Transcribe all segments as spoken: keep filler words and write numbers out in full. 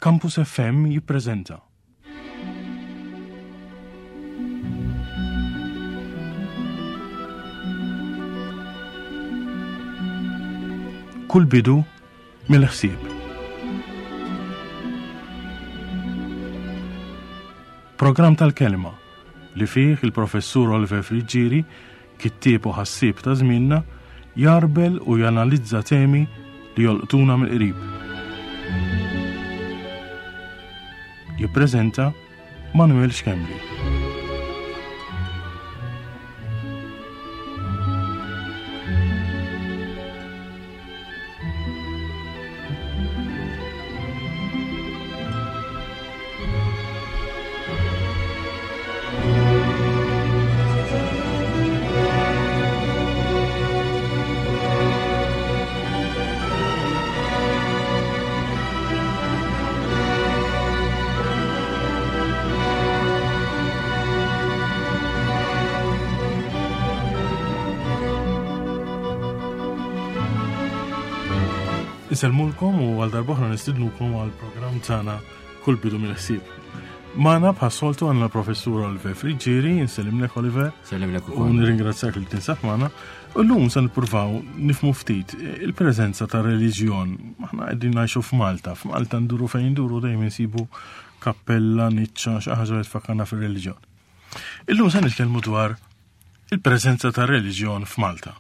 Campus F M jippreżenta Kull bidu mill-ħsieb. Programm tal-kelma li fih il-professur Oliver Friggieri, kittieb u ħassieb ta' żmienna, jarbel u janalizza temi li jolqtuna mill-qrib. Jippreżenta Manuel Schembri. Insellmulkom u għal darb'oħra nistidnukom għal programm tagħna Kull bidu mill-ħsieb. Magħna bħas-soltu għandna l-professur Oliver Friggieri, insellimlek Oliver. Sellimlek U ukoll. nirringrazzjak li tinsab magħna. U llum se nippruvaw nifhmu ftit il-preżenza ta' reliġjon. Aħna qegħdin ngħixu f'Malta. F'Malta nduru fejn nduru dejjem insibu kappella, niċċa, xi ħaġa li tfakkarna fir-reliġjon. Illum se nitkellmu dwar il-preżenza ta' reliġjon f'Malta.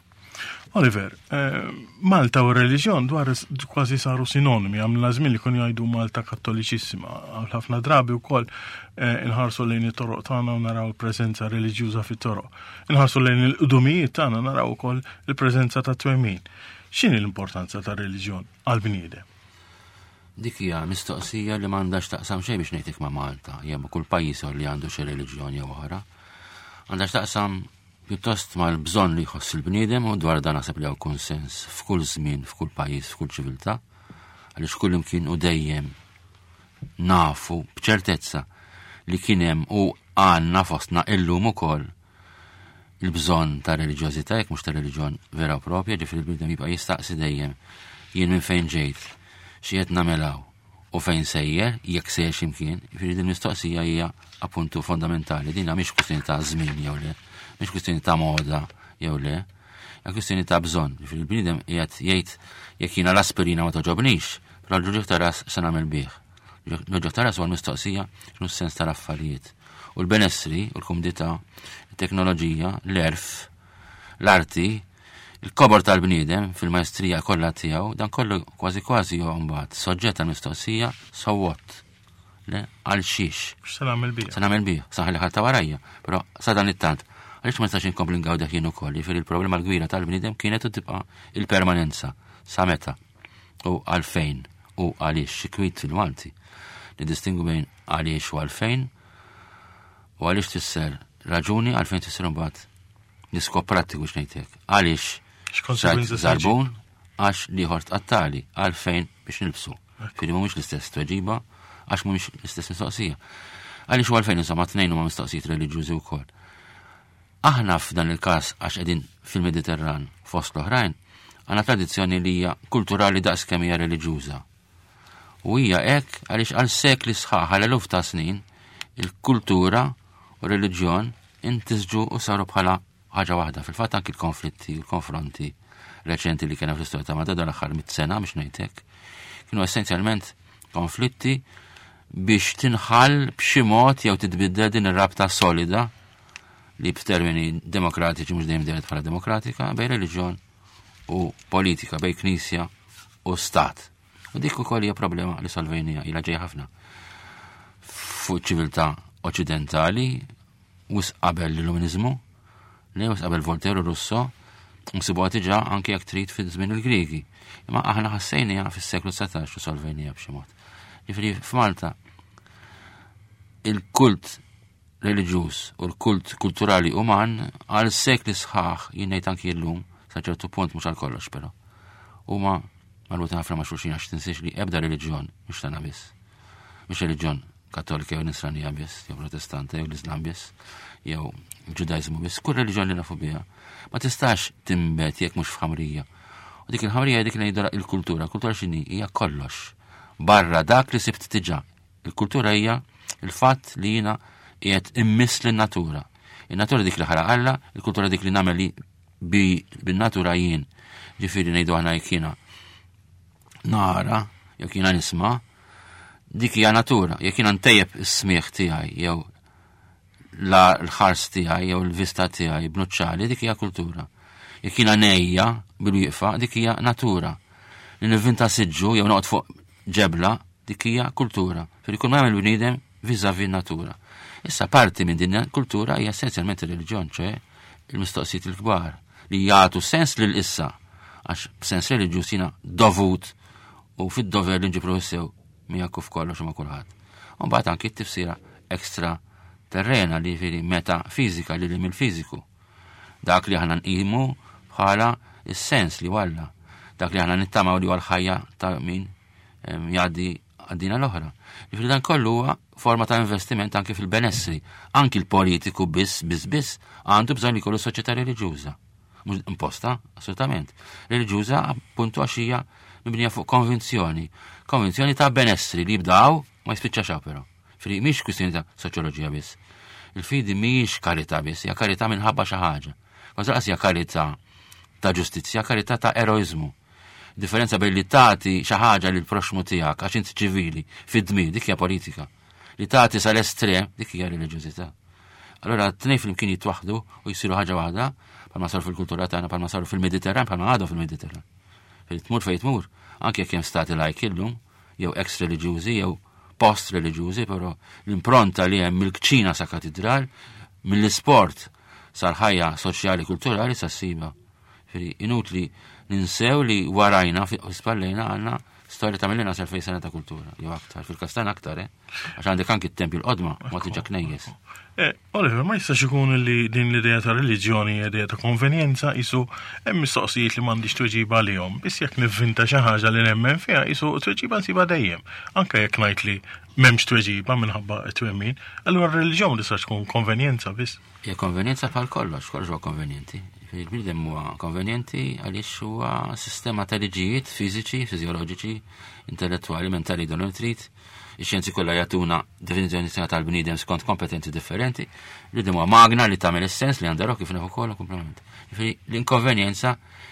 Oliver, eh, Malta u r-reliġjon dwar s-, kważi saru sinonimi, għamla żmien li kienu jgħidu Malta kattoliċissima. Għal ħafna drabi wkoll, eh, inħarsu lejn it-toroq tagħna u naraw il-preżenza reliġjuża fit-toroq. Inħarsu lejn il-qdumijiet tagħna naraw ukoll il-preżenza ta' twemmin. X'inhi l-importanza tar-reliġjon għall-bniedem? Dik hija mistoqsija li m'għandax taqsam xejn biex ngħidlek ma' Malta, jew ma' kull pajjiż li għandu xi reliġjon jew oħra. Għandha x'taqsam pjuttost mal-bżonn li jħoss il-bniedem, u dwar dan naħseb li hawn konsens f'kull żmien, f'kull pajjiż, f'kull ċiviltà, għaliex kull imkien u dejjem nafu b'ċertezza li kien hemm u għandna fostna illum ukoll il-bżonn ta' reliġjożità, jekk mhux ta' reliġjon vera u propja, ġifieri l-bniedem jibqa' jistaqsi dejjem jien minn fejn ġejt, xi qed nagħmel hawn u fejn sejjer, jekk sejjer x'imkien. Ġifieri din mistoqsija hija appuntu fondamentali, din mhix kwistjoni ta' żmien jew le, mhix kwistjoni ta' moda jew le, hija kwistjoni ta' bżonn. Ġifieri l-bniedem qiegħed jgħid jekk jiena l-aspirina ma toġobnix, però l-ġuġ ta' ras se nagħmel bih. L-ġuġ ta' ras huwa l-mistoqsija x'inhu s-sens tal-affarijiet. U l-benessri, u l-kumdità, it-teknoloġija, l-erf, l-arti, il-kobor tal-bniedem fil-maestrija kollha tiegħu, dan kollu kważi kważi huwa mbagħad soġġett għall-mistoqsija so what? Le, għal xiex? X'se nagħmel bih? Se nagħmel bih, sa ħalli ħadd warajja, però sa dan it-tant. Għaliex ma nistax inkompli ngawdeh jien ukoll, jiġifieri il-problema l-kbira tal-bniedem kienet u tibqa' il-permanenza, sa meta u għalfejn u għaliex, xi kwit fil-Malti. Nidistingu bejn għaliex u għalfejn, u għaliex tisser raġuni, għalfejn tisser imbagħad l-iskop prattiku x'ngħidlek. Għaliex X'konsegwenza xajt żarbun, għax liħor tqattali, għalfejn biex nilbsu. Firri mhumiex l-istess tweġiba, għax mhumiex l-istess mistoqsija. Għaliex u għalfejn insomma tnejn huma mistoqsijiet reliġjużi wkoll. Aħna f'dan il-każ għax qegħdin fil-Mediterran fost l-oħrajn, għandna tradizzjoni li hija kulturali daqs kemm hija reliġjuża. U hija hekk għaliex għal sekli sħaħ, għal eluf ta' snin, il-kultura u reliġjon intisġu u saru bħala ħaġa waħda. Fil-fatt anki l-konflitti u l-konfronti reċenti li kena fl-istorja ta' Malta dan l-aħħar mit sena biex ngħidlek, kienu essenzjalment konflitti biex tinħall b'xi mod jew titbiddel din ir-rabta solida li b'termini demokratiċi mhux dejjem dejjem bħala demokratika bejn reliġjon u politika, bejn knisja u stat. U dik ukoll hija problema li solvejnija ilha ġejja ħafna fuq ċiviltà oċidentali wis qabel l-Illuminizmu, li wis qabel Voltaire u Rousseau, nsibuha diġà anke jekk trid fi żmien il-Griegi. Imma aħna ħassejniha fis-seklu dsatax u solvejniha b'xi mod. Jiġifieri f'Malta il-kult reliġjuż u l-kult kulturali uman għal sekli sħaħ, jien ngħid anki llum, sa ċertu punt mhux għal kollox però, huma marbutin ħafna ma' xulxin għax tinsiex li ebda reliġjon mhux tagħna biss. Mhux reliġjon kattolika jew nisranija biss, jew protestanta jew l-Islam biss, jew il-Ġudaiżmu biss, kull reliġjon li nafu biha ma tistax timbet jekk mhux f'ħamrija. U dik il-ħamrija dik li ngħidu il-kultura, kultura x'inhi? Hija kollox. Barra dak li sibt diġà. Il-kultura hija il-fatt li jiena qiegħed immiss lin-natura. In-natura dik li ħalaq Alla, il-kultura dik li nagħmel li bin-natura jien. Ġifieri ngħidu aħna jekk jiena nara, jekk jiena nisma', dik hija natura. Jekk jiena ntejjeb is-smieħ tiegħi jew l-ħars tiegħi jew l-vista tiegħi b'nuċċali, dik hija kultura. Jekk jiena nejja bil-wieqfa, dik hija natura. Li nivvinta siġġu jew noqgħod fuq ġebla, dik hija kultura. Fil kull ma jagħmel bniedem vis-à-vis natura. Issa parti minn din kultura hija essenzjalment ir-reliġjon, ċe il-mistoqsijiet il-kbar li jagħtu sens lil issa, għax b'sens reliġjuż jiena dovut u fid-dover li nġibru sew miegħek u f'kollox ma' kulħadd. U mbagħad anki t-tifsira ekstra terrena li jiġifieri metafizika li li mill-fiżiku. Dak li aħna nqimu bħala is-sens li walla. Dak li aħna nittamaw li huwa l-ħajja ta' min jgħaddi għaddina l-oħra. Jiġifieri dan kollu huwa forma ta' investiment anke fil-benessri. Anki l-politiku biss, biss, biss għandu bżonn li jkollu soċjetà reliġjuża. Mhux imposta, assolutament. Reliġjuża appuntu għax hija mibnija fuq konvinzjoni. Konvinzjoni ta' benessri li jibdaw ma jispiċċax però. Fri mhix kwistjoni ta' soċjoloġija biss. Il-fidi mhijiex karità biss, hija karità minħabba xi ħaġa. Kważi lanqas hija karità ta' ġustizzja, karità ta' eroiżmu. Differenza bejn li tagħti xi ħaġa lil proxmu tiegħek għax inti ċivili fid-dmir, dik hija politika. Li tagħti sal-estrem, dik hija reliġjużità. Allora t-tnejn flimkien jitwaħdu u jsiru ħaġa waħda, bħalma saru fil-kultura tagħna, bħalma saru fil-Mediterran, bħalma għadhom fil-Mediterran. Fejn tmur fejn tmur, anke jekk hemm stati lajk illum, jew ex-reliġjużi, jew post-reliġjużi, però l-impronta li hemm mill-kċina sa katedral, mill-isport sal-ħajja soċjali kulturali sa ssiba. Ġifieri inutli ninsew li warajna fi spallejna għandna storja ta' mill-inqas elfejn sena ta' kultura, jew aktar, fil-Kastan aktar, eh? Għax għandek anki t-tempju l-qodma, ma tiġa knejjes. Eh, Oliver, ma jistax ikun li din l-idea ta' reliġjoni hija idea ta' konvenjenza, isu hemm mistoqsijiet li m'għandix tweġiba għalihom, biss jekk nivvinta xi ħaġa li nemmen fiha, isu tweġiba nsiba dejjem. Anke jekk ngħid li m'hemmx tweġiba minħabba t-twemmin, allura r-reliġjon ma tistax tkun konvenjenza biss. Hija konvenjenza bħal kollox, kollox huwa konvenjenti. Il-bniedem huwa konvenjenti għaliex huwa sistema ta' liġijiet fiżiċi, fiżjoloġiċi, intellettwali, mentali, don trid. Ix-xjenzi kollha jagħtuna definizzjoni tal-bniedem skont kompetenzi differenti. Bniedem huwa magna li tagħmel is-sens li għandha kif nafu kollu komplement. Jiġifieri l-inkonvenjenza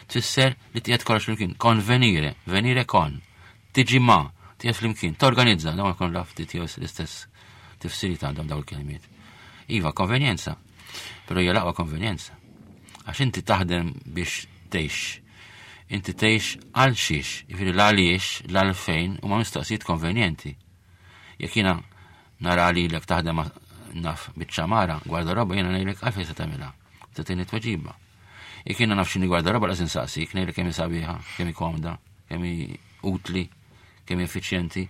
tfisser li tiegħed kollox flimkien, konvenire, venire kon, tiġi ma, tiegħed flimkien, torganizza, dawn ikun lafti tiegħu l-istess tifsiri għandhom dawn il-kelmiet. Iva, konvenjenza, però hija l-aqwa konvenjenza. Għax inti taħdem biex tgħix. Inti tgħix għal xiex, jiġifieri l-għaliex, l-għalfejn huma mistoqsijiet konvenjenti. Jekk jiena nara lilek taħdem naf biċ-ċamara, gwardaroba, jiena ngħidlek għalfejn se tagħmilha. Tagħtini tweġiba. Jekk jiena naf x'inhi gwardaroba laqas insaqsik, ngħidlek kemm hi sabiħa, kemm hi komda, kemm hi utli, kemm hi effiċjenti.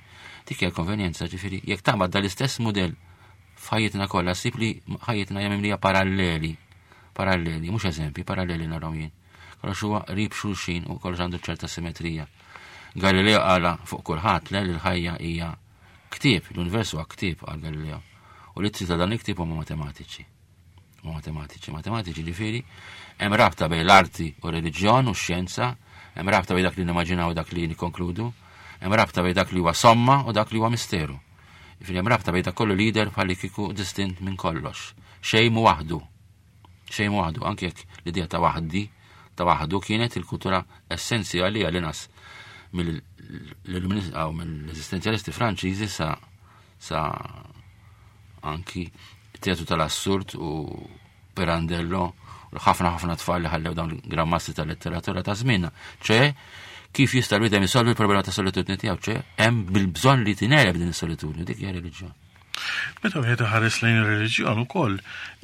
Dik hija konvenjenza, ġifieri jekk taqbad dal-istess mudell f'ħajjitna kollha, ssib li ħajjitna hija mimlija paralleli. Paralleli, mhux eżempji, paralleli narahom jien. Kollox huwa qrib xulxin u kollox għandu ċerta simetrija. Galileo qala fuq kulħadd le li l-ħajja hija ktieb, l-univers huwa ktieb għal Galileo. U l-ittri ta' dan il-ktieb huma matematiċi. Huma matematiċi, matematiċi ġifieri hemm rabta bejn l-arti u reliġjon u x-xjenza, hemm rabta bejn dak li nimmaġinaw u dak li nikkonkludu, hemm rabta bejn dak li huwa somma u dak li huwa misteru. Ġifieri hemm rabta bejn dak kollu lider bħalli kieku distint minn kollox. Xejn mu waħdu. Xejn mu waħdu, anke jekk l-idea ta' waħdi, ta' waħdu kienet il-kultura essenzjali għal nas mill-eżistenzjalisti Franċiżi sa, sa anki teatru tal-assurd u Pirandello u ħafna ħafna tfal li ħallew dawn il-grammasti tal-letteratura ta' żmienna. ċe kif jista' l-bniedem jisolvi l-problema ta' solitudni tiegħu, ċe hemm bil-bżonn li tingħeleb din is-solitudni, dik hija reliġjon. Meta wieħed iħares lejn ir-reliġjon ukoll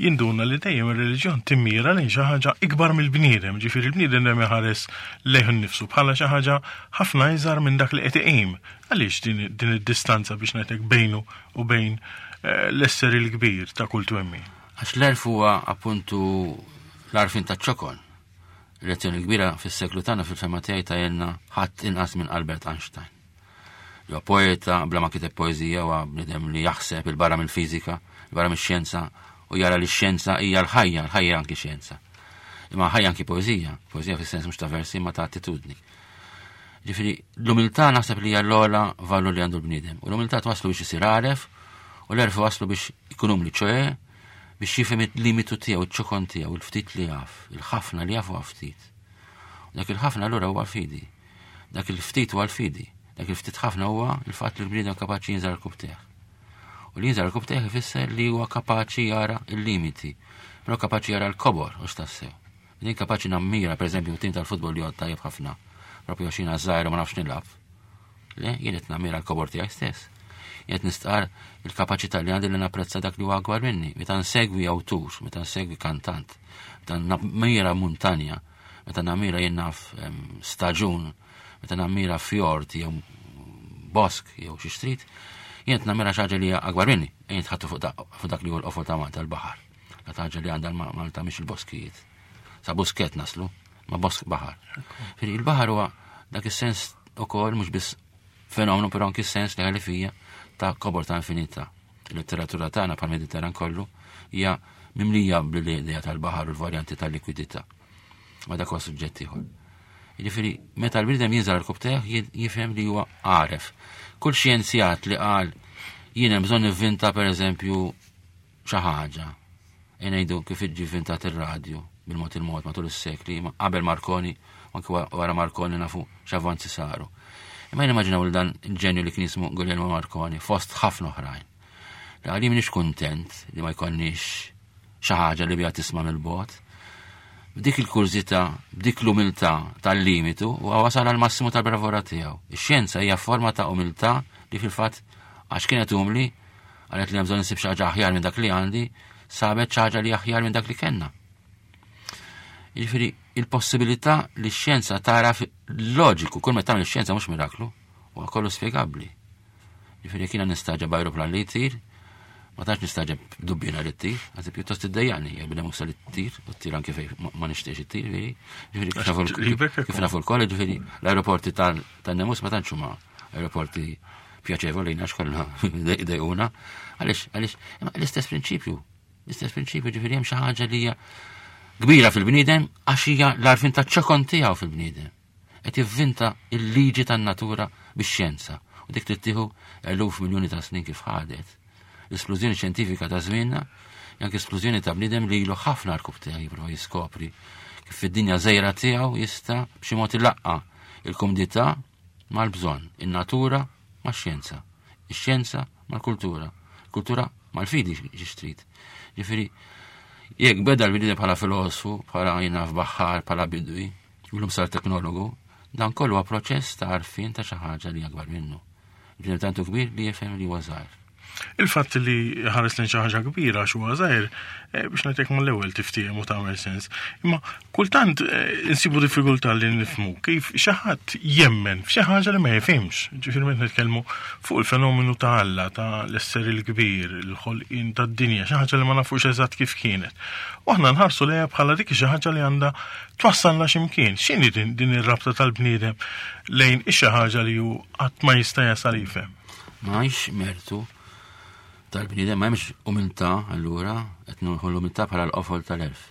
jinduna li dejjem ir-reliġjon timmira lejn xi ħaġa ikbar mill-bniedem, ġifieri l-bniedem dejjem iħares lejh innifsu bħala xi ħaġa ħafna iżgħar minn dak li qed iqim. Għaliex din, din id-distanza biex ngħidlek bejnu u bejn, eh, l-esseri l-kbir ta' kull twemmin? Għax l-erf huwa appuntu l-arfin ta' ċokon. Lezzjoni kbira fis-seklu tagħna fil-fema tiegħi ta' jenna ħadd inqas minn Albert Einstein. Huwa poeta bla ma kiteb poeżija, huwa bniedem li jaħseb il-barra mill-fiżika, il-barra mix-xjenza, u jara li x-xjenza hija l-ħajja, l-ħajja anki xjenza. Imma ħajja anki poeżija, poeżija fis-sens mhux ta' versi ma ta' attitudni. Ġifieri l-umiltà naħseb li hija l-ogħla valur li għandu l-bniedem. U l-umiltà twaslu biex isir għaref u l-għerf waslu biex ikun umli, ċoè biex jifhem il-limitu tiegħu, iċ-ċokon tiegħu, il-ftit li jaf, il-ħafna li jaf huwa ftit. U dak il-ħafna allura huwa l-fidi. Dak il-ftit huwa l-fidi. Dak il-ftit ħafna huwa il-fatt li l-bniedem kapaċi jinżel rkubtejh. U li jinżel rkubtejh ifisser li huwa kapaċi jara il-limiti, però kapaċi jara l-kobor u x'tassew. Din kapaċi nammira, per eżempju, tim tal-futbol li għod tajjeb ħafna, propju għax jiena żgħir u ma nafx nilgħab. Le, jien qed nammira l-kobor tiegħi stess. Jien qed nistqar il-kapaċità li għandi li napprezza dak li huwa akbar minni. Meta nsegwi awtur, meta nsegwi kantant, meta nammira muntanja, meta nammira jien naf em, staġun, meta nammira fjord jew bosk jew xi street, jien qed nammira xi ħaġa li hija akbar minni. Jien tħattu fuq dak- fuq dak li huwa l-qofol ta' Malta l-baħar. Dak ħaġa li għandha Malta mhix il-boskijiet. Sa Buskett naslu, ma bosk baħar. Ġifieri il-baħar huwa dak is-sens ukoll mhux biss fenomenu, però anki sens li ħalli fija ta' kobor ta' infinità. Il-letteratura tagħna bħal Mediterran kollu hija mimlija bl-idea tal-baħar u l-varjanti tal-likwidità. Ma dak huwa suġġett ieħor. Jiġifieri meta l-bniedem jinżel rkubtejh jifhem li huwa għaref. Kull xjenzjat li qal jien hemm bżonn nivvinta pereżempju xi ħaġa. E ngħidu kif iġi vvintat ir-radju bil-mod il-mod matul is-sekli, ma qabel Marconi, anke wara Marconi nafu x'avvanzi saru. Imma jien immaġinaw li dan il-ġenju li kien jismu Guglielmo Marconi fost ħafna oħrajn. Li għali m'iniex kuntent li ma jkollniex xi ħaġa li biha tisma' mill-bogħod. B'dik il-kurżità, b'dik l-umiltà tal-limitu, u wasal għal massimu tal-bravura tiegħu. Ix-xjenza hija forma ta' umiltà li fil-fatt għax kienet umli, qalet li hemm bżonn insib xi ħaġa aħjar minn dak li għandi, sabet xi ħaġa li aħjar minn dak li kellna. Jiġifieri il-possibilità li x-xjenza tara loġiku, kull meta tagħmel ix-xjenza mhux miraklu, huwa kollu spjegabbli. Jiġifieri jekk jiena nistagħġeb ajruplan li jtir, ma tantx nistagħġeb dubbina li ttir, għazi pjuttost iddejjaqni, jekk b'nemusa li ttir, u ttir anke fej ma nixtiex ittir, ġifieri kif nafu l-koll, ġifieri l-aeroporti tan-nemus ma tantx huma aeroporti pjaċevoli għax kollha dejquna. Għaliex, għaliex, l-istess prinċipju, l-istess prinċipju, ġifieri hemm xi ħaġa li hija kbira fil-bniedem għax hija l-għarfien ta' ċokon tiegħu fil-bniedem. Qed jivvinta il-liġi tan-natura bix-xjenza. U dik trid eluf miljuni ta' snin kif ħadet. L-esplużjoni xjentifika ta' żmienna, anke esplużjoni ta' bniedem li ilu ħafna rkub tiegħu jipprova jiskopri kif fid-dinja żgħira tiegħu jista' b'xi mod ilaqqa il-kumdità mal-bżonn, in-natura max-xjenza, ix-xjenza mal-kultura, kultura mal-fidi xi trid. Ġifieri jekk beda l-bniedem bħala filosofu, bħala jien naf baħħar, bħala bidwi, u sar teknologu, dan kollu huwa proċess ta' għarfien ta' xi ħaġa li akbar minnu. Bniedem tantu kbir li jifhem li huwa żgħir. Il-fatt li ħares lejn xi ħaġa kbira xi huwa żgħir eh, biex ngħidlek mal-ewwel tiftiehem u tagħmel sens. Imma kultant eh, insibu diffikultà li nifhmu kif xi ħadd jemmen f'xi ħaġa li ma jifhimx. Ġifieri meta nitkellmu fuq il-fenomenu ta' Alla, ta' l-esseri l-kbir, il-ħolqien tad-dinja, xi ħaġa li ma nafux eżatt kif kienet. U aħna nħarsu lejha bħala dik xi ħaġa li għandha twassalna x'imkien. X'inhi din, din ir-rabta tal-bniedem lejn xi ħaġa li hu qatt ma jista' jasal jifhem? Ma mertu tal-bniedem ma hemmx umiltà allura qed nieħu l-umiltà bħala l-qofol tal-għerf.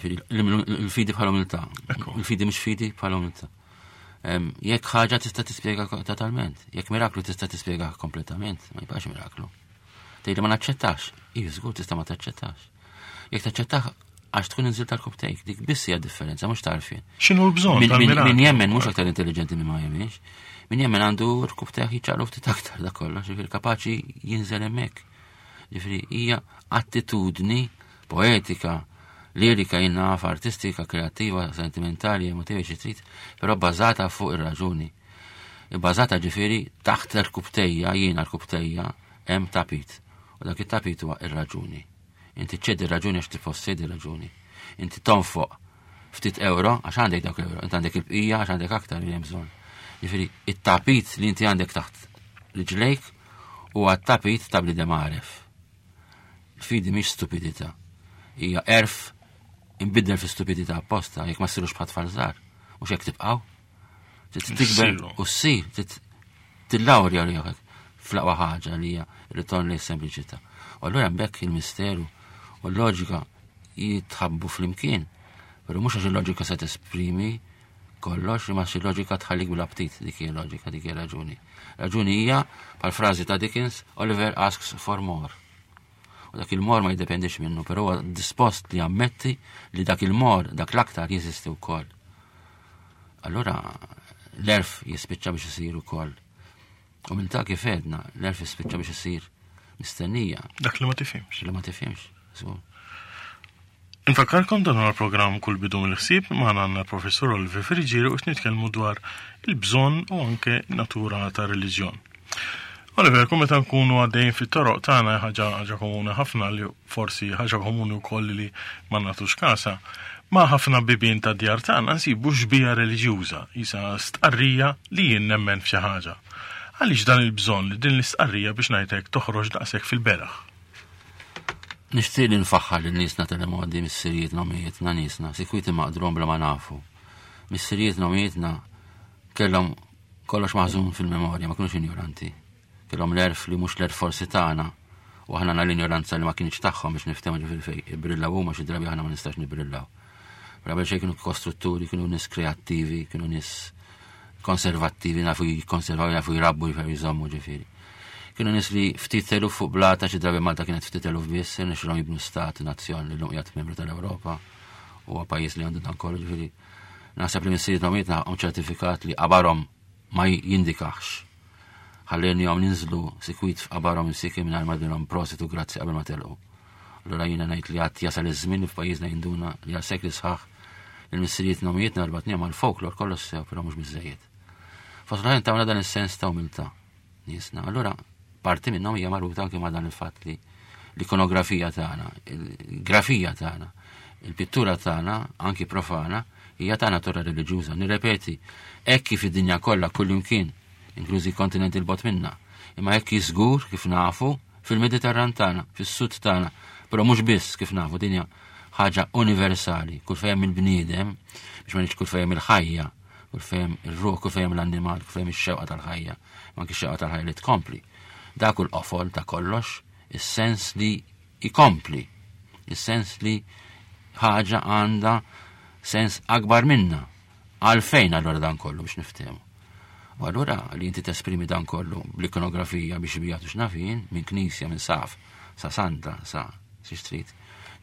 Il-fidi bħala umiltà. Il-fidi mhux fidi bħala umiltà. Jekk ħaġa tista' tispjega totalment, jekk miraklu tista' tispjega kompletament, ma jibqax miraklu. Tgħidli ma naċċettax, iva żgur tista' ma taċċettax. Jekk taċċettax għax tkun inżilt tal-kubtejk, dik biss hija differenza, mhux tarfien. X'inhu l-bżonn tal-miraklu? Min jemmen mhux aktar intelligenti minn ma jemminx. Min jemmen għandu rkubtejh jiċċaqlu ftit aktar da kollox, ġifieri kapaċi jinżel hemmhekk. Ġifieri hija attitudni poetika, lirika, jien naf, artistika, kreattiva, sentimentali, emotiva, xi trid, però bbażata fuq ir-raġuni. Bbażata ġifieri taħt l-rkubtejja, jiena rkubtejja, hemm tapit. U dak it-tapit huwa ir-raġuni. Inti ċedi raġuni għax tippossedi raġuni. Inti tonfoq ftit euro għax għandek dak euro, inti għandek il-bqija għax għandek aktar li hemm bżonn. Ġifieri, it-tapit li inti għandek taħt riġlejk huwa t-tapit ta' bniedem għaref. Il-fidi mhix stupidità. Hija għerf imbiddel fi stupidità apposta, jekk ma ssirux bħal tfal żgħar, mhux hekk tibqgħu. Tikber u ssir, tillawrja ruħek fl-aqwa ħaġa li hija ritorn lejn sempliċità. U allura hemmhekk il-misteru u l-loġika jitħabbu flimkien, però mhux għax il-loġika se tesprimi kollox, imma xi loġika tħallik bl-aptit, dik hija loġika, dik hija raġuni. Raġuni hija, bħal frażi ta' Dickens, "Oliver asks for more." U dak il-more ma jiddependix minnu, però huwa dispost li jammetti li dak il-more, dak l-aktar jeżisti wkoll. Allura l-għerf jispiċċa biex isir ukoll. U minn ta' kif għedna, l-għerf jispiċċa biex isir mistennija. Dak li ma tifhimx. Li ma tifhimx. So, Infakkarkom dan huwa l-programm Kull Bidu mill-Ħsieb, magħna għandna professor Oliver Friggieri u nitkellmu dwar il-bżonn u anke natura ta' reliġjon. Oliver, kum meta nkunu għaddejjin fit-toroq tagħna, ħaġa ħaġa komuni ħafna li forsi ħaġa komuni wkoll li ma nagħtux kasa, ma' ħafna bibien ta' djar tagħna nsibu xbija reliġjuża, isa stqarrija li jien nemmen f'xi ħaġa. Għaliex dan il-bżonn li din l-istqarrija, biex ngħidlek, toħroġ daqshekk fil-beraħ? Nixtieq li nfaħħar lil niesna tal-modi, missirijietna, ommijietna, niesna, sikwiti maqdrom bla ma nafu. Missirijietna, ommijietna kellhom kollox maħżun fil-memorja, ma kienux ignoranti. Kellhom l-għerf li mhux l-għerf forsi tagħna, u aħna għandna l-ignoranza li ma kienx tagħhom, biex niftehmu, ġifieri fej ibbrillaw huma xi drabi aħna ma nistax nibrillaw. Qabel xejn kienu kostrutturi, kienu nies kreattivi, kienu nies konservattivi, nafu jikkonservaw, jafu jrabbu, jafu jżommu ġifieri. Kienu nies li ftit eluf fuq blata, xi drabi Malta kienet ftit eluf biss, irnexxilhom jibnu stat, nazzjon li llum qiegħed membru tal-Ewropa u pajjiż li għandu dan kollu, ġifieri. Naħseb li missirijietna ommijietna għandhom ċertifikat li qabarhom ma jindikax. Ħallejniehom ninżlu sikwit f'qabarhom insiki mingħajr ma dinhom prosit u grazzi qabel ma telqu. Allura jiena ngħid li għad jasal iż-żmien li f'pajjiżna jinduna li għal sekli sħaħ il-missirijietna ommijietna rbatniehom mal-folklor, kollox sew, però mhux biżejjed. Fost l-oħrajn tawna dan is-sens ta' umiltà niesna. Allura parti minnhom hija marbuta anke ma' dan il-fatt li l-ikonografija tagħna, il-grafija tagħna, il-pittura tagħna, anki profana, hija ta' natura reliġjuża. Nirrepeti, hekk kif id-dinja kollha kullimkien, inklużi kontinenti 'l bogħod minna, imma hekk żgur kif nafu fil-Mediterran tagħna, fis-sud tagħna, però mhux biss, kif nafu dinja ħaġa universali, kull fejn il-bniedem, biex ma ngħidx kull fejn il-ħajja, kull fejn ir-ruħ, kull fejn l-annimal, kull fejn ix-xewqa tal-ħajja, ma anki x-xewqa tal-ħajja li tkompli. Dak hu l-qofol ta' kollox, is-sens li jkompli, is-sens li ħaġa għandha sens akbar minna. Għalfejn allura dan kollu, biex niftehmu? U allura li inti tesprimi dan kollu bl-ikonografija biex bijatu x'nafin, minn knisja, minn saf, sa santa, sa xi trid,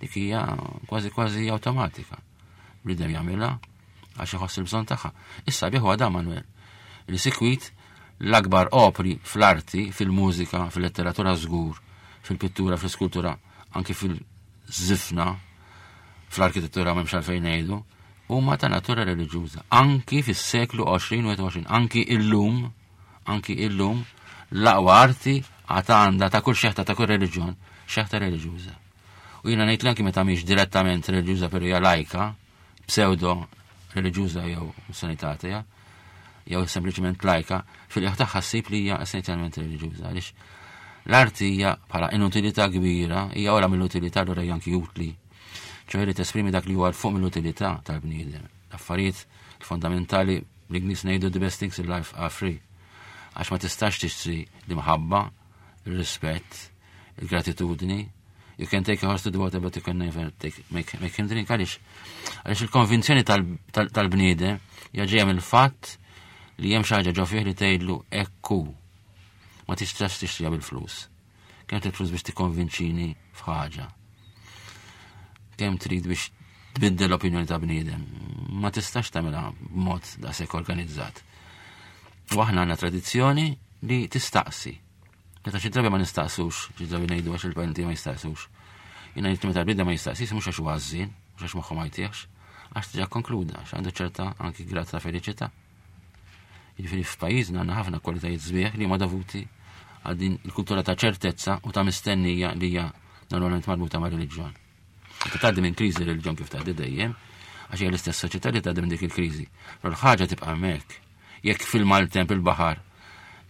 dik hija kważi kważi awtomatika. Bniedem jagħmilha għax iħoss il-bżonn tagħha. Issa bih huwa dan, Manuel, li sikwit l-akbar opri fl-arti, fil-mużika, fil-letteratura żgur, fil-pittura, fil-skultura, anki fil-żifna, fl-arkitettura m'hemmx għalfejn ngħidu, huma ta' natura reliġjuża. Anki fis-seklu għoxrin u wieħed u għoxrin, anki illum, anki illum, l-aqwa arti għad għandha ta' kull xeħta, ta' kull reliġjon, xeħta reliġjuża. U jiena ngħid li anki meta mhix direttament reliġjuża, però hija lajka, pseudo reliġjuża jew sanitatea, jew sempliċement lajka, fil-qiegħ tagħha ssib li hija essenzjalment reliġjuża, għaliex l-arti hija bħala inutilità kbira, hija ora mill-utilità, allura hija anki utli. ċoħe li tesprimi dak li huwa 'l fuq mill-utilità tal-bniedem. L-affarijiet fondamentali, bl-Ingliż ngħidu "the best things in life are free". Għax ma tistax tixtri l-imħabba, il-rispett, il-gratitudni. You can take a horse to the water, but you can never take, make, make him drink. Għaliex? Għaliex il-konvinzjoni tal-bniedem hija ġejja mill-fatt li hemm xi ħaġa ġo fih li tgħidlu ekku. Ma tistax tixtriha bil-flus. Kemm trid flus biex tikkonvinċini f'ħaġa? Kemm trid biex tbiddel l-opinjoni ta' bniedem? Ma tistax tagħmilha b'mod daqshekk organizzat. U aħna għandna tradizzjoni li tistaqsi. Meta xi drabi ma nistaqsux, xi drabi ngħidu għax il-parenti ma jistaqsux. Jiena ngħid meta l-bniedem ma jistaqsix mhux għax huwa ħażin, mhux għax moħħu ma jtieħx, għax diġà konkluda, għax għandu ċerta anki grad ta' felicità. Jiġifieri f'pajjiżna għandna ħafna kwalitajiet sbieħ li huma dovuti għal din il-kultura ta' ċertezza u ta' mistennija li hija normalment marbuta ma' reliġjon. Meta tgħaddi minn kriżi reliġjon, kif tgħaddi dejjem, għax hija l-istess soċjetà li tgħaddi minn dik il-kriżi. Però l-ħaġa tibqa' hemmhekk. Jekk fil-maltemp il-baħar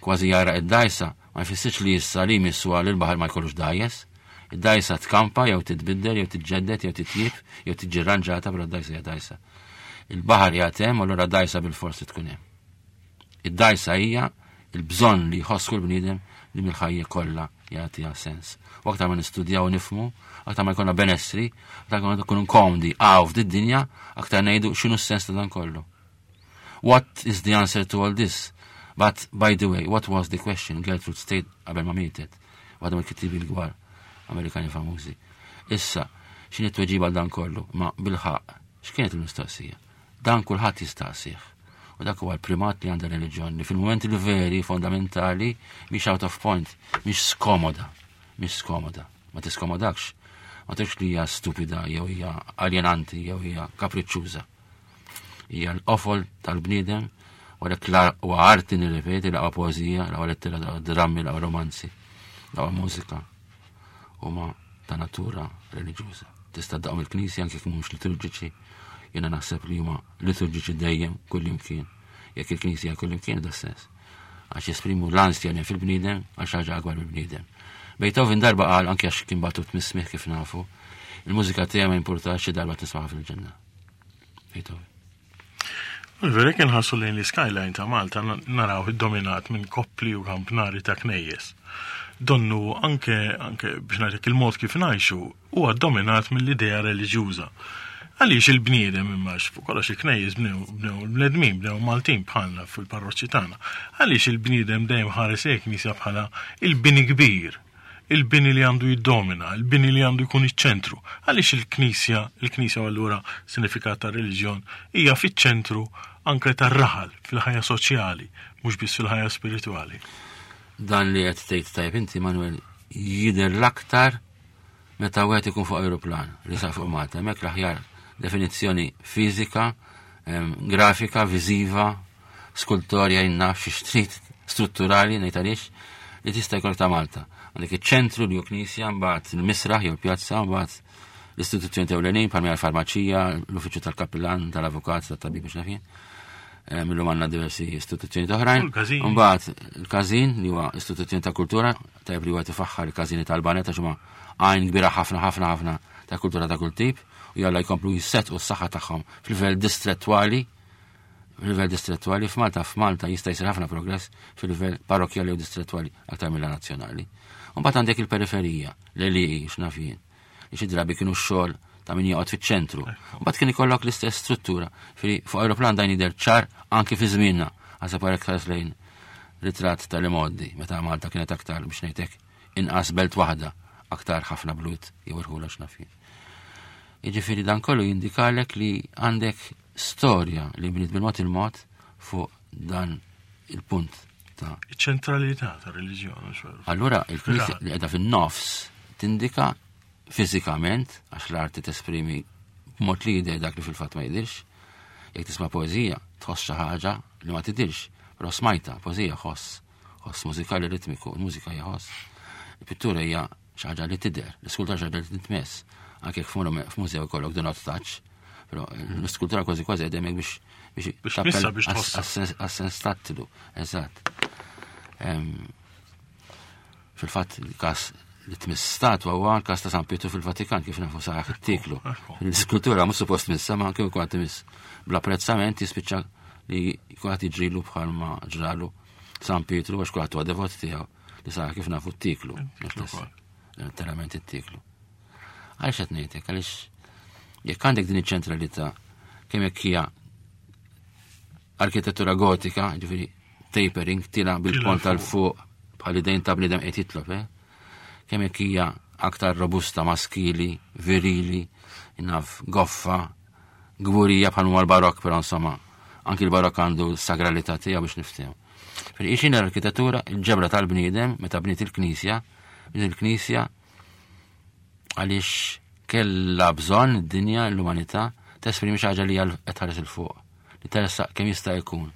kważi jara id-dajsa, ma jfissirx li issa li jmissu għal il-baħar ma jkollux dajjes. Id-dajsa tkampa jew titbiddel jew titġeddet jew titjib jew tiġi rranġata, però d-dajsa hija dajsa. Il-baħar qiegħed hemm, allura dajsa bil-forsi tkun hemm. Id-dajsa hija il-bżonn li jħoss kull bniedem li mill-ħajja kollha jagħtiha sens. U aktar ma nistudjaw, nifhmu, aktar ma jkollna benessri, aktar ma nkunu komdi għaw f'did-dinja, aktar ngħidu x'inhu s-sens ta' dan kollu. What is the answer to all this? But, by the way, what was the question? Gertrude Stein qabel ma mietet. Waħda mill-kittibi l-kbar Amerikani famużi. Issa, x'inhi t-tweġiba għal dan kollu? Ma bil-ħaqq, x'kienet il-mistoqsija? Dan kulħadd jistaqsih. U dak huwa l-primat li għandha reliġjon li fil-momenti li veri fondamentali mhix out of point, mhix skomoda, mhix skomoda, ma tiskomodakx. Ma tgħidx li hija stupida jew hija aljenanti jew hija kapriċċuża. Hija l-qofol tal-bniedem u għalhekk huwa arti nirrepeti, l-aqwa poeżija, l-aqwa lettera, l-aqwa drammi, l-aqwa romanzi, l-aqwa mużika huma ta' natura reliġjuża. Tista' daqhom il-knisja anke jekk mhumiex liturġiċi, jiena naħseb li huma liturġiċi dejjem kullimkien. Jekk il-knisja kullimkien da sens. Għax jesprimu l-ansja li fil-bniedem għal xi ħaġa akbar mill-bniedem. Beethoven darba qal anke għax kien batut mis-smigħ kif nafu, il-mużika tiegħi ma jimpurtax xi darba tismaħ fil-ġenna. Beethoven. Vera kien ħassu lejn l-skyline ta' Malta naraw dominat minn koppli u kampnari ta' knejjes. Donnu anke, anke biex ngħidlek il-mod kif ngħixu huwa dominat mill-idea reliġjuża. Għaliex il-bniedem imma fuq kollox il-knejjes bnew bnew il-bnedmin bnew Maltin bħalna fil-parroċċi tagħna. Għaliex il-bniedem dejjem ħares hekk knisja bħala il-bini kbir, il-bini li għandu jiddomina, il-bini li għandu jkun iċ-ċentru. Għaliex il-knisja, il-knisja allura sinifikat ta' reliġjon hija fiċ-ċentru anke tar-raħal fil-ħajja soċjali, mhux biss fil-ħajja spiritwali. Dan li qed tgħid tajjeb inti Manuel jidher l-aktar meta wieħed ikun fuq aeroplan li sa fuq Malta. Hemmhekk l-aħjar definizzjoni fiżika, grafika, viżiva, skultorja jinnaf xi trid strutturali ngħid għaliex li tista' jkollok ta' Malta. Għandek iċ-ċentru li hu knisja, mbagħad il-misraħ jew il-pjazza, mbagħad l-istituzzjoni ewlenin bħalma l-farmaċija, l-uffiċċju tal-kapillan, tal-avukat, tat-tabib biex nafin. Millum għandna diversi istituzzjoni oħrajn. Mbagħad il-każin li huwa istituzzjoni ta' kultura, tajjeb li huwa tifaħħar il-każini tal-Banet għax huma għajn kbira ħafna ħafna ħafna ta' kultura ta' kull tip u jalla jkomplu jissetqu s-saħħa tagħhom fil-livell distrettwali fil-livell distrettwali f'Malta f'Malta jista' jsir ħafna progress fil-livell parrokjali u distrettwali aktar mill nazzjonali. Mbagħad għandek il-periferija, l-għelieqi x'naf jien, li xi drabi kienu x-xogħol ta' min joqgħod fiċ-ċentru. Mbagħad kien ikollok l-istess struttura. Fuq aeroplan dan jidher ċar anke fi żmienna, għasab għarek tħares lejn ritratt tal-imoddi, meta Malta kienet aktar biex ngħidlek inqas belt waħda, aktar ħafna blut jew irħula x'naf jien. Jiġifieri dan kollu jindikalek li għandek storja li bniet bil-mod il-mod fuq dan il-punt ta' Iċ-ċentralità ta' reliġjon. Allura il-Knisja li qiegħda fin-nofs tindika fiżikament għax l-arti tesprimi b'mod li jidher dak li fil-fatt ma jidirx. Jekk tisma' poeżija, tħoss xi ħaġa li ma tidirx, però smajta poeżija ħoss, ħoss mużikali ritmiku, il-mużika hija ħoss. Il-pittura hija xi ħaġa li tidher, l-iskultura xi ħaġa li tintmess. Anke jekk f'mużew ikollok do not touch, però l-iskultura kważi kważi qed hemmhekk biex biex tmissa biex tħoss. Għas-sens tattilu, eżatt. Fil-fatt il-każ li tmiss statwa huwa l-każ ta' San Pietru fil-Vatikan kif nafu saħ it-tiklu. L-iskultura mhux suppost tmissa ma kif ikun tmiss bl-apprezzament jispiċċa li jkun jiġrilu bħalma ġralu San Pietru għax kulħadd huwa devot tiegħu li saħ kif nafu t-tiklu. Letteralment it-tiklu. Għaliex qed ngħidlek, għaliex jekk għandek din iċ-ċentralità kemm jekk hija arkitettura gotika, ġifieri tapering, tila bil-pont tal-fuq bħal idejn ta' bniedem qed jitlob, eh? Kemm jekk hija aktar robusta, maskili, virili, naf goffa, gburija bħal huma l-barokk, però insomma, anki l-barokk għandu s-sagralità tiegħu biex niftehmu. Fil-ixin l-arkitettura, il-ġebra tal-bniedem, meta bniet il-knisja, bniet il-knisja għaliex kella bżonn id-dinja, l-umanità, tesprimi xi ħaġa li hija qed tħares il fuq, li teressaq kemm jista' jkun.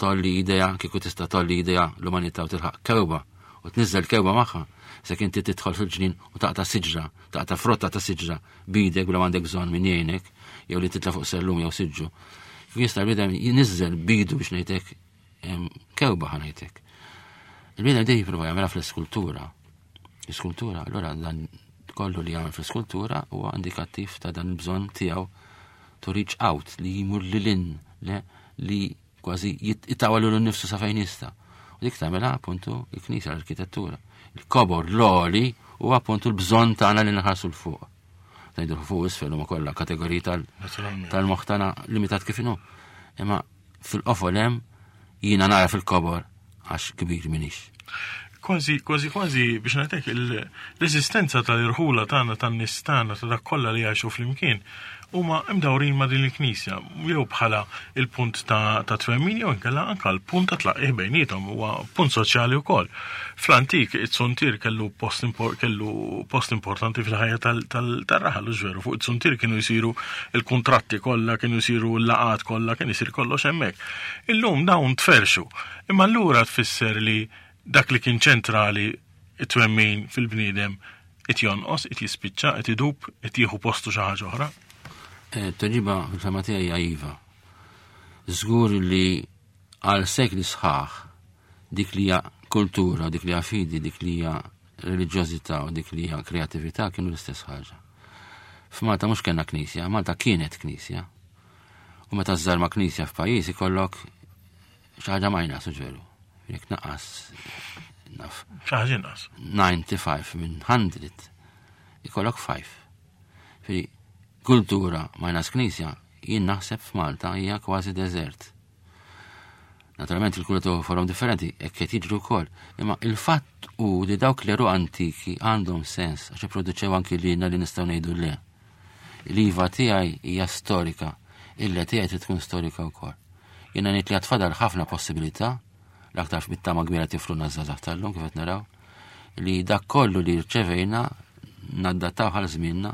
Tolli idea, kieku tista' tolli idea l-umanità u tilħaq kewba u tniżżel kewba magħha. Se inti tidħol fil-ġnien u taqta' siġra, taqta' frotta ta' siġra bidek bla m'għandek bżonn min jgħinek, jew li titla' fuq sellum jew siġġu. Kif jista' l-bniedem jinżel bidu biex ngħidlek kewba ħa ngħidlek. Il-bniedem dejjem jipprova jagħmilha fl-iskultura. L-iskultura, allura dan kollu li jagħmel fl-iskultura huwa indikattiv ta' dan il-bżonn tiegħu to reach out, li jmur lil hinn, le, li kważi jitawal lilu nnifsu sa fejn jista'. U dik tagħmilha appuntu il-knisja, l-arkitettura. Il-kobor l-għoli huwa appuntu l-bżonn tagħna li nħarsu l fuq. Ngħidu fuq isfel huma kollha kategoriji tal- Naturalment. tal-moħħ tagħna limitat kif inhu. Imma Fil-qofol hemm jiena nara fil-kobor għax kbir minix. Kważi, kważi, kważi biex ngħidlek l-eżistenza tal-irħula tagħna, tan-nies tagħna, ta' dak kollha li jgħixu flimkien huma imdawrin ma' din il-knisja, jew bħala il-punt ta', ta' twemmin jew inkella anka l-punt ta' tlaqqih bejniethom, huwa punt soċjali wkoll. Fl-antik it-suntier kellu post, impor, kellu post importanti fil-ħajja tal-raħal, u veru, fuq it-suntier kienu jsiru il-kuntratti kollha, kienu jsiru l-laqat kollha, kien isir kollox hemmhekk. Illum dawn tferxu, imma allura tfisser li dak li kien ċentrali, it-twemmin fil-bniedem, it jonqos, it jispiċċa, it idub, it jieħu postu xi ħaġa oħra? Tweġiba fil-fehma tiegħi hija iva. Żgur li għal sekli sħaħ dik li hija kultura, dik li hija fidi, dik li hija reliġjożità u dik li hija kreatività kienu l-istess ħaġa. F'Malta mhux kellna knisja, Malta kienet knisja. U meta żżarma knisja f'pajjiż ikollok xi ħaġa minus, veru. Jekk naqas naf. Xi ħaġa inqas. disgħa u disgħin minn mija ikollok ħamsa. Fi kultura minus knisja jien naħseb f'Malta hija kważi deżert. Naturalment il-kultura forom differenti, hekk qed jiġru wkoll. Imma il-fatt hu li dawk l antiki għandhom sens għax ipproduċew anki lilna li nistgħu ngħidu le. L-iva tiegħi hija storika, il-le tiegħi trid tkun storika wkoll. Jiena ngħid li għad fadal ħafna possibilità, l-aktar bit-tama kbira tifluna żgħażagħ tal-lum kif qed naraw, li dak kollu li rċevejna naddattaw għal żmienna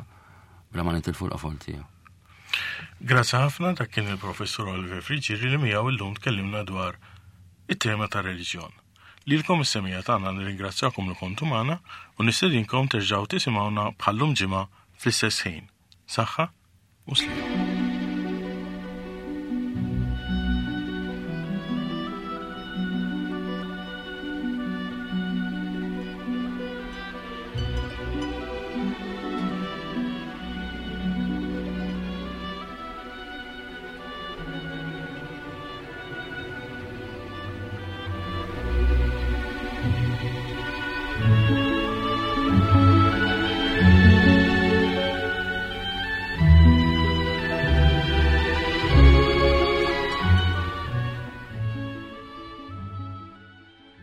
bla ma nitilfu l-qofol tiegħu. Grazzi ħafna, dak kien il-professur Oliver Friggieri li miegħu illum tkellimna dwar it-tema ta' reliġjon. Lilkom is-semmiegħa tagħna nirringrazzjakom li kontu magħna u nistedinkom terġgħu tisimgħuna bħallum ġimgħa fl-istess ħin. Saħħa u sliem.